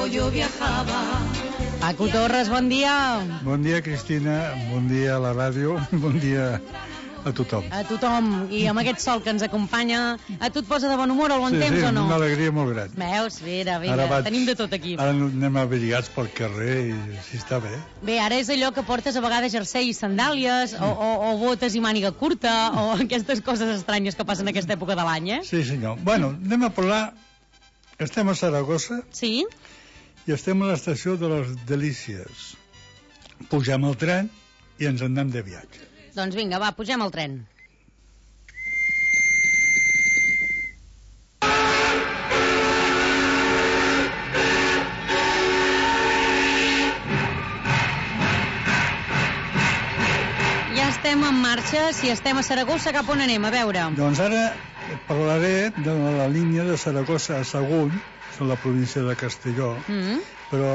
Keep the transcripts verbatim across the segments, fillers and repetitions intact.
tiempo yo viajaba. Paco Torres, bon dia. Bon dia, Cristina, bon dia a la ràdio, bon dia a tothom. A tothom, i amb aquest sol que ens acompanya, a tu et posa de bon humor al bon sí, temps sí, o no? Sí, una alegria molt gran. Veus? Mira, vinga, ara vaig, tenim de tot aquí. Ara anem abrigats pel carrer i si està bé. Bé, ara és allò que portes a vegades jersei i sandàlies, o, o, o botes i màniga curta, o aquestes coses estranyes que passen en aquesta època de l'any, eh? Sí, senyor. Bueno, anem a parlar... Estem a Saragossa. Sí. I estem a l'estació de les Delícies. Pugem al tren i ens en anem de viatge. Doncs vinga, va, pugem al tren. Ja estem en marxa. Si estem a Saragossa, cap on anem? A veure. Doncs ara parlaré de la línia de Saragossa a Sagunt, a la província de Castelló, mm-hmm. però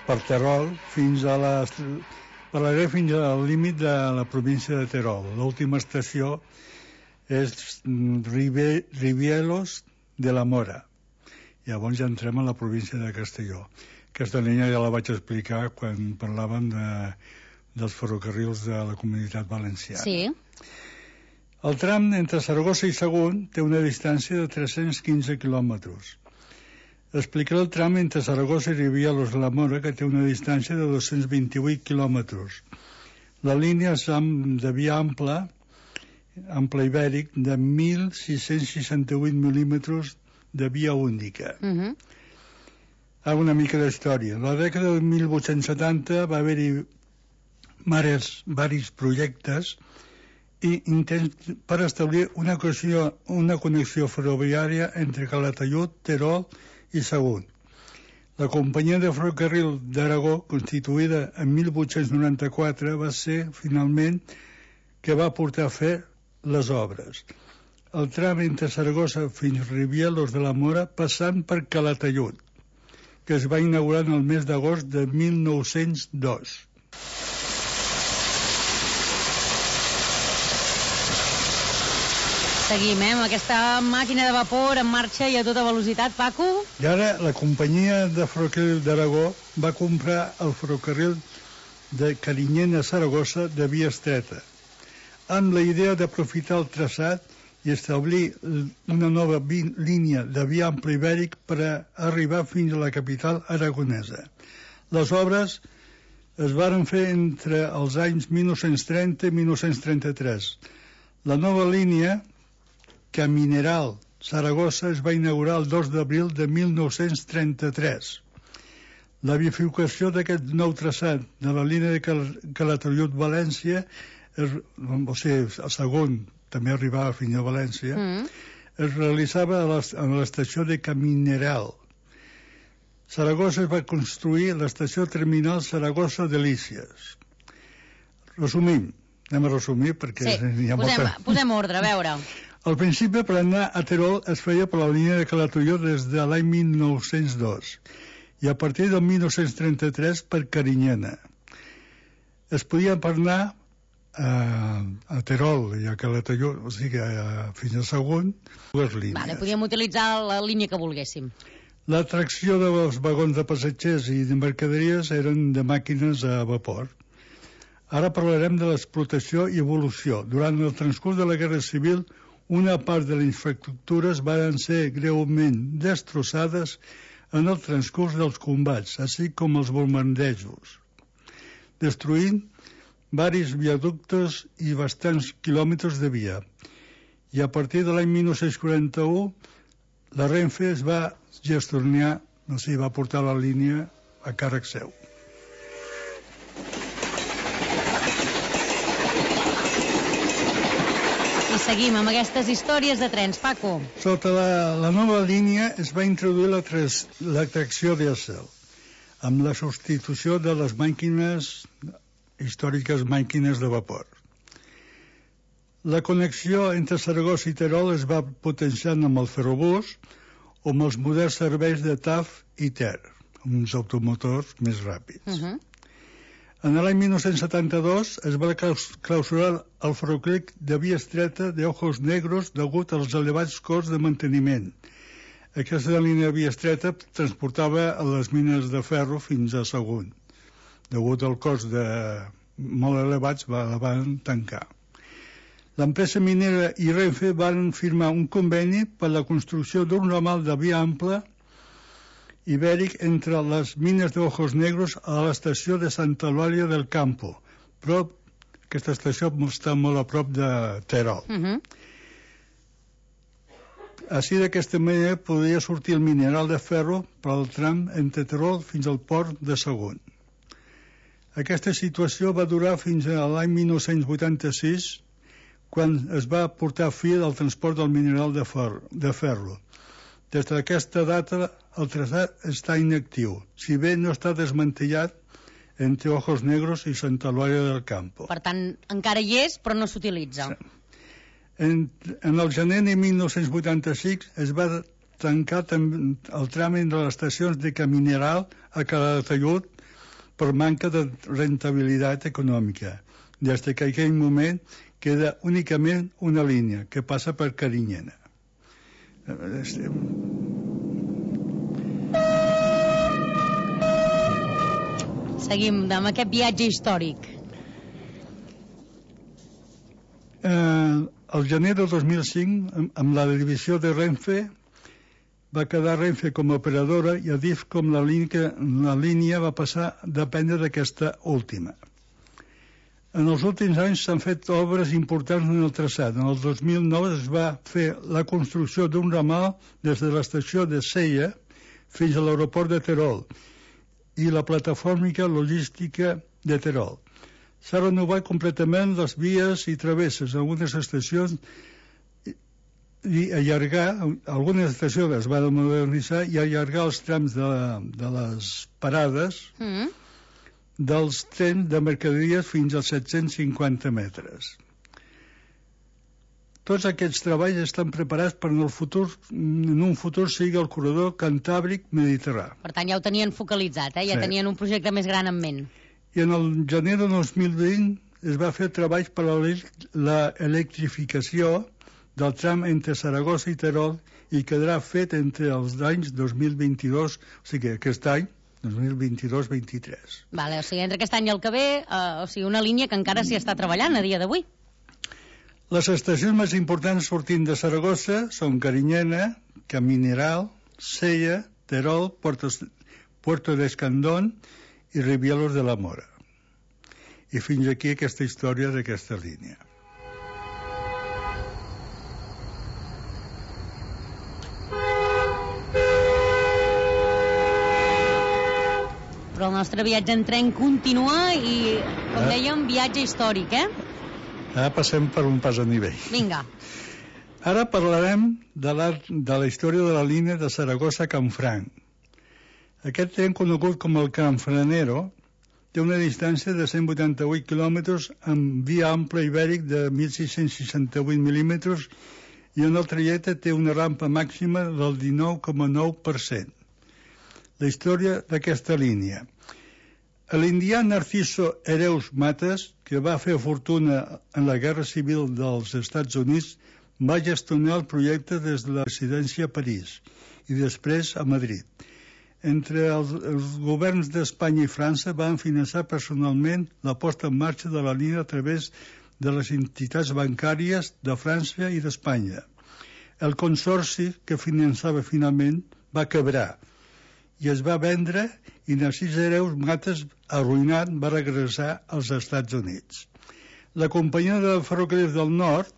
per Terol fins a la... Parlaré fins al límit de la província de Terol. L'última estació és Ribe... Ribielos de la Mora. Llavors ja entrem a la província de Castelló. Aquesta línia ja la vaig explicar quan parlàvem de, dels ferrocarrils de la Comunitat Valenciana. Sí. El tram entre Saragossa i Sagunt té una distància de tres-cents quinze quilòmetres. Explicaré el tram entre Saragossa i Ribielos de la Mora, que té una distància de dos-cents vint-i-vuit quilòmetres. La línia és de via ampla, ample ibèric, de mil sis-cents seixanta-vuit mil·límetres de via única. Uh-huh. Ah, una mica d'història. A la dècada de mil vuit-cents setanta va haver-hi diversos projectes i intents per establir una connexió, una connexió ferroviària entre Calatayud, Terol i Sagunt. La companyia de ferrocarril d'Aragó, constituïda en mil vuit-cents noranta-quatre, va ser finalment que va portar a fer les obres. El tram entre Saragossa fins Ribielos de la Mora passant per Calatayud, que es va inaugurar en el mes d'agost de mil nou-cents dos. Seguim, eh, amb aquesta màquina de vapor en marxa i a tota velocitat, Paco. I ara la companyia de ferrocarril d'Aragó va comprar el ferrocarril de Carinyena a Saragossa de via estreta, amb la idea d'aprofitar el traçat i establir una nova línia de via ample ibèric per a arribar fins a la capital aragonesa. Les obres es varen fer entre els anys mil nou-cents trenta i mil nou-cents trenta-tres. La nova línia Camineral Saragossa es va inaugurar el dos d'abril de mil nou-cents trenta-tres. La bifurcació d'aquest nou traçat de la línia de Calatayud-València, o sigui, el segon també arribava fins a València, mm. es realitzava a l'estació de Camineral. Saragossa es va construir l'estació terminal Saragossa Delícies. Resumim, anem a resumir perquè... Sí, hi ha posem, molta... posem ordre, a veure... Al principi, per anar a Terol es feia per la línia de Calatayud des de l'any mil nou-cents dos i a partir del mil nou-cents trenta-tres per Carinyena. Es podia per anar a, a Terol i a Calatayud, o sigui, a, fins a Sagunt, dues línies. Vale, podíem utilitzar la línia que volguéssim. La tracció dels vagons de passatgers i de mercaderies eren de màquines a vapor. Ara parlarem de l'explotació i evolució. Durant el transcurs de la Guerra Civil, una part de les infraestructures van ser greument destrossades en el transcurs dels combats, així com els bombardejos, destruint varis viaductes i bastants quilòmetres de via. I a partir de l'any mil nou-cents quaranta-u, la Renfe es va gestionar, no sé, va portar la línia a càrrec seu. I seguim amb aquestes històries de trens, Paco. Sota la, la nova línia es va introduir la, tres, la tracció dièsel, amb la substitució de les màquines, històriques màquines de vapor. La connexió entre Saragossa i Terol es va potenciant amb el ferrobús o amb els moderns serveis de T A F i T E R, uns automotors més ràpids. Uh-huh. En l'any mil nou-cents setanta-dos es va clausurar el ferrocarril de via estreta de Ojos Negros degut als elevats costs de manteniment. Aquesta línia de via estreta transportava a les mines de ferro fins a Sagunt. Degut al cost de molt elevats, va, la van tancar. L'empresa minera i Renfe van firmar un conveni per la construcció d'un ramal de via ampla ibèric entre les mines d'Ojos Negros a l'estació de Santa Eulàlia del Campo. Prop, aquesta estació està molt a prop de Terol. Uh -huh. Així, d'aquesta manera, podria sortir el mineral de ferro per al tram entre Terol fins al port de Sagunt. Aquesta situació va durar fins a l'any mil nou-cents vuitanta-sis, quan es va portar fi al transport del mineral de ferro. De ferro. Des d'aquesta data, el traçat està inactiu, si bé no està desmantellat entre Ojos Negros i Santa Eulàlia del Campo. Per tant, encara hi és, però no s'utilitza. Sí. En, en el gener de mil nou-cents vuitanta-sis es va tancar el tram entre les estacions de Camineral a Calatayud per manca de rentabilitat econòmica. Des que en aquell moment queda únicament una línia que passa per Carinyena. Seguim amb aquest viatge històric. Eh, el gener del dos mil cinc, amb la divisió de Renfe, va quedar Renfe com a operadora i Adif com la línia, la línia va passar a dependre d'aquesta última. En els últims anys s'han fet obres importants en el traçat. En el dos mil nou es va fer la construcció d'un ramal des de l'estació de Sella fins a l'aeroport de Terol i la plataforma logística de Terol. S'ha renovat completament les vies i travesses a algunes estacions i allargar, algunes estacions es van modernitzar i allargar els trams de, la, de les parades mm. dels trens de mercaderies fins als set-cents cinquanta metres. Tots aquests treballs estan preparats per en el futur, en un futur sigui el corredor Cantàbric-Mediterrà. Per tant, ja ho tenien focalitzat, eh? Ja sí. Tenien un projecte més gran en ment. I en el gener de dos mil vint es va fer treballs per a l'electrificació del tram entre Saragossa i Terol i quedarà fet entre els anys dos mil vint-i-dos, o sigui, aquest any, dos mil vint-i-dos vint-i-tres. Vale, o sigui, entre aquest any i el que ve, eh, o sigui, una línia que encara s'hi està treballant a dia d'avui. Les estacions més importants sortint de Saragossa són Carinyena, Camineral, Sella, Terol, Puerto, Puerto de Escandón i Ribielos de la Mora. I fins aquí aquesta història d'aquesta línia. Però el nostre viatge en tren continua i, com eh? dèiem, viatge històric, eh? Ara passem per un pas a nivell. Vinga. Ara parlarem de la, de la història de la línia de Saragossa a Canfranc. Aquest tren, conegut com el Canfranero, té una distància de cent vuitanta-vuit quilòmetres amb via ampla ibèric de mil sis-cents seixanta-vuit mil·límetres i en el trajecte té una rampa màxima del dinou coma nou per cent. La història d'aquesta línia. L'indià Narciso Hereus Matas, que va fer fortuna en la Guerra Civil dels Estats Units, va gestionar el projecte des de la residència a París i després a Madrid. Entre els, els governs d'Espanya i França van finançar personalment la posta en marxa de la línia a través de les entitats bancàries de França i d'Espanya. El consorci que finançava finalment va quebrar i es va vendre i Narcís Hereus Matas, arruïnat, va regressar als Estats Units. La companyia de ferrocarrils del Nord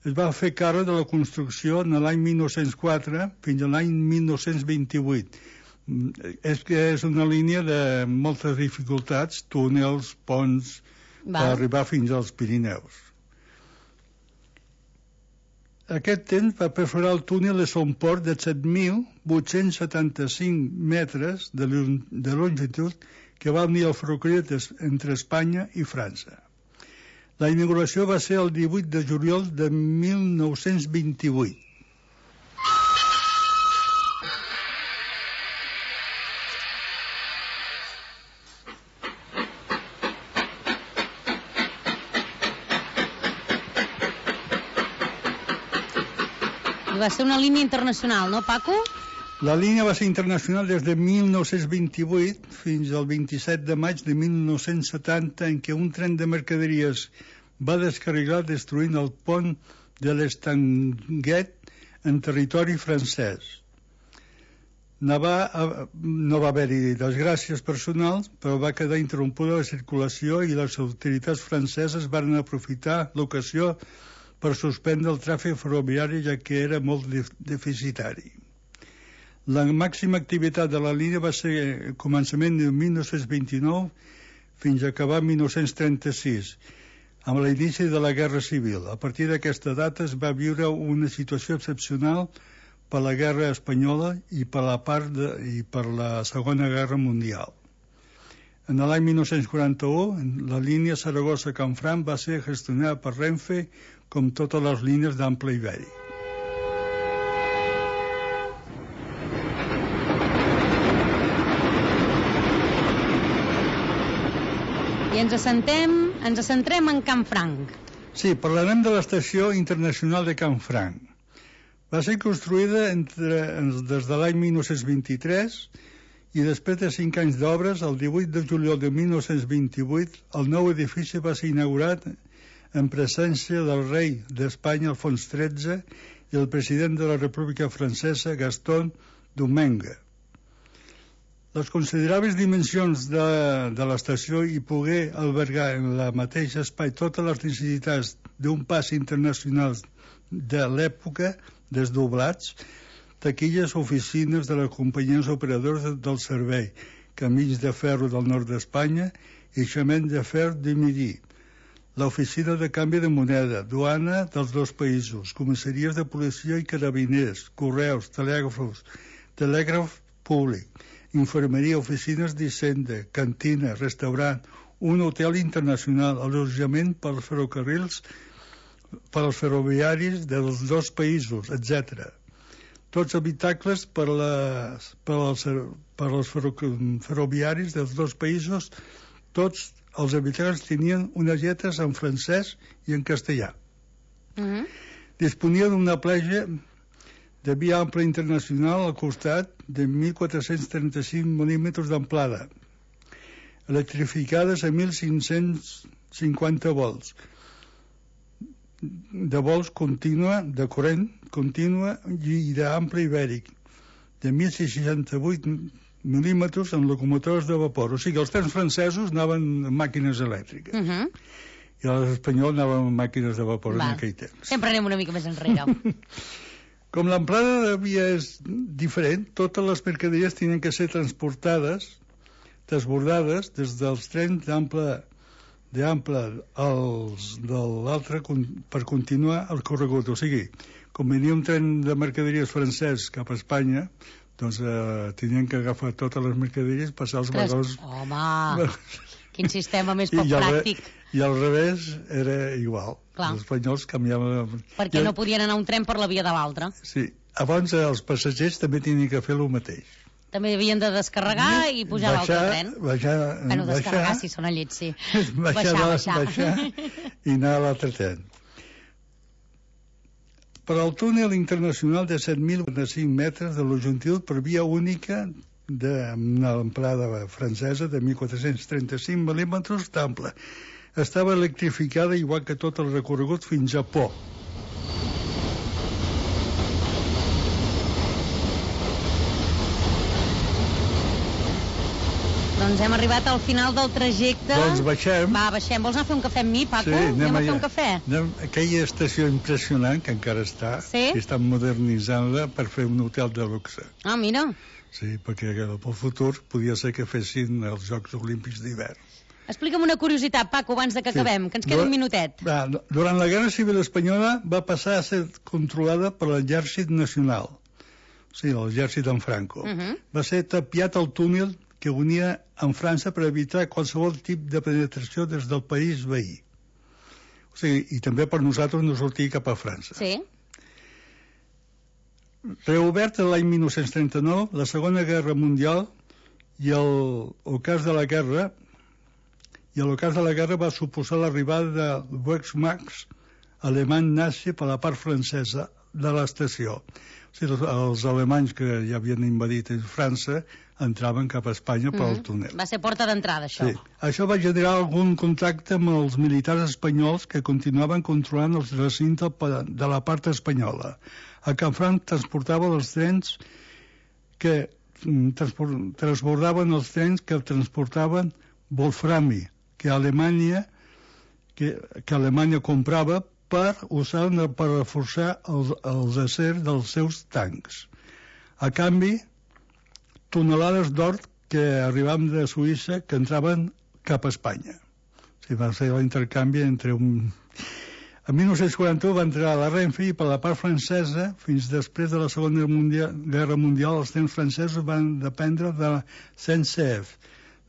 es va fer càrrec de la construcció en l'any mil nou-cents quatre fins a l'any mil nou-cents vint-i-vuit. És que és una línia de moltes dificultats, túnels, ponts, per arribar fins als Pirineus. Aquest temps va perforar el túnel de Somport de set mil vuit-cents setanta-cinc metres de longitud que va unir el ferrocarril entre Espanya i França. La inauguració va ser el divuit de juliol de mil nou-cents vint-i-vuit. Va ser una línia internacional, no, Paco? La línia va ser internacional des de mil nou-cents vint-i-vuit fins al vint-i-set de maig de mil nou-cents setanta, en què un tren de mercaderies va descarrilar destruint el pont de l'Estanguet en territori francès. No va, no va haver-hi desgràcies personals, però va quedar interrompuda la circulació i les autoritats franceses van aprofitar l'ocasió per suspendre el tràfic ferroviari, ja que era molt deficitari. La màxima activitat de la línia va ser a començament de mil nou-cents vint-i-nou fins a acabar mil nou-cents trenta-sis, amb l'inici de la Guerra Civil. A partir d'aquesta data es va viure una situació excepcional per la Guerra Espanyola i per la part de, i per la Segona Guerra Mundial. En l'any mil nou-cents quaranta-u, la línia Saragossa-Canfranc va ser gestionada per Renfe, com totes les línies d'ample ibèric. I ens assentem, ens centrem en Canfranc. Sí, parlarem de l'Estació Internacional de Canfranc. Va ser construïda entre, des de l'any mil nou-cents vint-i-tres i després de cinc anys d'obres, el divuit de juliol de mil nou-cents vint-i-vuit, el nou edifici va ser inaugurat en presència del rei d'Espanya, Alfons tretze, i el president de la República Francesa, Gaston Domingue. Les considerables dimensions de, de l'estació i poder albergar en la mateixa espai totes les necessitats d'un pas internacional de l'època, desdoblats, taquilles, oficines de les companyies operadores del servei, camins de ferro del nord d'Espanya i chemin de fer de Midi, l'oficina de canvi de moneda, duana dels dos països, comissaries de policia i carabiners, correus, telègrafos, telègraf públic, infermeria, oficines d'Hisenda, cantina, restaurant, un hotel internacional, allotjament pels ferrocarrils, pels ferroviaris dels dos països, etcètera. Tots habitacles per, les, per, els, per els ferro, ferroviaris dels dos països, tots els habitants tenien unes lletres en francès i en castellà. Mm-hmm. Disponia d'una platja de via ampla internacional al costat de mil quatre-cents trenta-cinc mil·límetres d'amplada, electrificades a mil cinc-cents cinquanta volts, de vols contínua, de corrent contínua i d'ample ibèric, de mil seixanta-vuit mil·límetres en locomotores de vapor. O sigui, els trens francesos anaven amb màquines elèctriques. Uh-huh. I els espanyols anaven amb màquines de vapor. Va. En aquell temps. Sempre anem una mica més enrere. Com l'amplada de via és diferent, totes les mercaderies tenien que ser transportades, desbordades, des dels trens d'ample d'ample als de l'altre per continuar el corregut. O sigui, com venia un tren de mercaderies francès cap a Espanya, doncs eh, tenien que agafar totes les mercaderies, passar els vagons... Home, quin sistema més poc pràctic. I al revés era igual. Clar. Els espanyols canviaven... Perquè no podien anar un tren per la via de l'altre. Sí. Abans els passatgers també tenien que fer el mateix. També havien de descarregar i pujar a l'altre tren. Baixar, bueno, descarregar, baixar, si són a llet, sí. Baixar, baixar, baixar. baixar i anar a l'altre tren. Per al túnel internacional de set mil cinc metres de longitud per via única d'una amplada francesa de mil quatre-cents trenta-cinc mil·límetres d'ample. Estava electrificada igual que tot el recorregut fins a Pau. Doncs hem arribat al final del trajecte. Doncs baixem. Va, baixem. Vols anar a fer un cafè amb mi, Paco? Sí, anem, anem a fer allà. un cafè? Anem, aquella estació impressionant, que encara està, sí? I estan modernitzant-la per fer un hotel de luxe. Ah, mira. Sí, perquè pel futur podia ser que fessin els Jocs Olímpics d'hivern. Explica'm una curiositat, Paco, abans de que sí. acabem, que ens queda un minutet. Va, durant la Guerra Civil Espanyola va passar a ser controlada per l'Exèrcit Nacional, o sigui, l'exèrcit en Franco. Uh -huh. Va ser tapiat el túnel que unia amb França per evitar qualsevol tipus de penetració des del país veí. O sigui, i també per nosaltres no sortir cap a França. Sí. Reobert l'any mil nou-cents trenta-nou, la Segona Guerra Mundial i el, el cas de la guerra i el cas de la guerra va suposar l'arribada de Wehrmacht alemany nazi per la part francesa de l'estació. O sigui, els, els alemanys que ja havien invadit França entraven cap a Espanya pel Mm-hmm. túnel. Va ser porta d'entrada, això. Sí. Això va generar algun contacte amb els militars espanyols que continuaven controlant els recintes de la part espanyola. A Canfranc transportava els trens que transport, transbordaven els trens que transportaven wolframi, que Alemanya que, que Alemanya comprava per usar per reforçar els, els acers dels seus tancs. A canvi, tonelades d'or que arribaven de Suïssa que entraven cap a Espanya. O sigui, va ser l'intercanvi entre un... En mil nou-cents quaranta-u va entrar a la Renfe i per la part francesa, fins després de la Segona Mundial, Guerra Mundial, els trens francesos van dependre de la C N C F.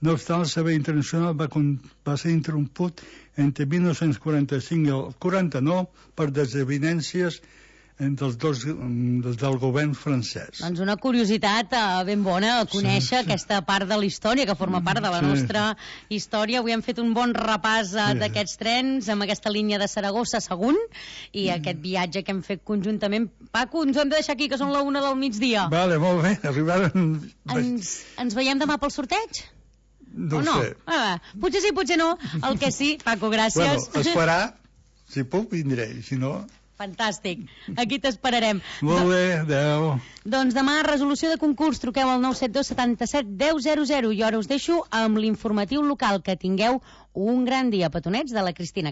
No obstant, el servei internacional va, va ser interromput entre mil nou-cents quaranta-cinc i el quaranta-nou per desavinences entre els dos des del govern francès. Doncs una curiositat eh, ben bona, conèixer Sí, sí. aquesta part de la història, que forma part de la Sí. nostra història. Avui hem fet un bon repàs eh, Sí. d'aquests trens, amb aquesta línia de Saragossa a Sagunt, i aquest viatge que hem fet conjuntament. Paco, ens ho hem de deixar aquí, que són la una del migdia. Vale, molt bé, arribaren... Ens, ens veiem demà pel sorteig? No o no? ho sé. Ah, potser sí, potser no. El que sí, Paco, gràcies. Bueno, esperar, si puc vindré, si no... Fantàstic. Aquí t'esperarem. Molt bé, adeu. Doncs demà, resolució de concurs, truqueu al nou set dos setanta-set deu zero zero i ara us deixo amb l'informatiu local. Que tingueu un gran dia, petonets de la Cristina.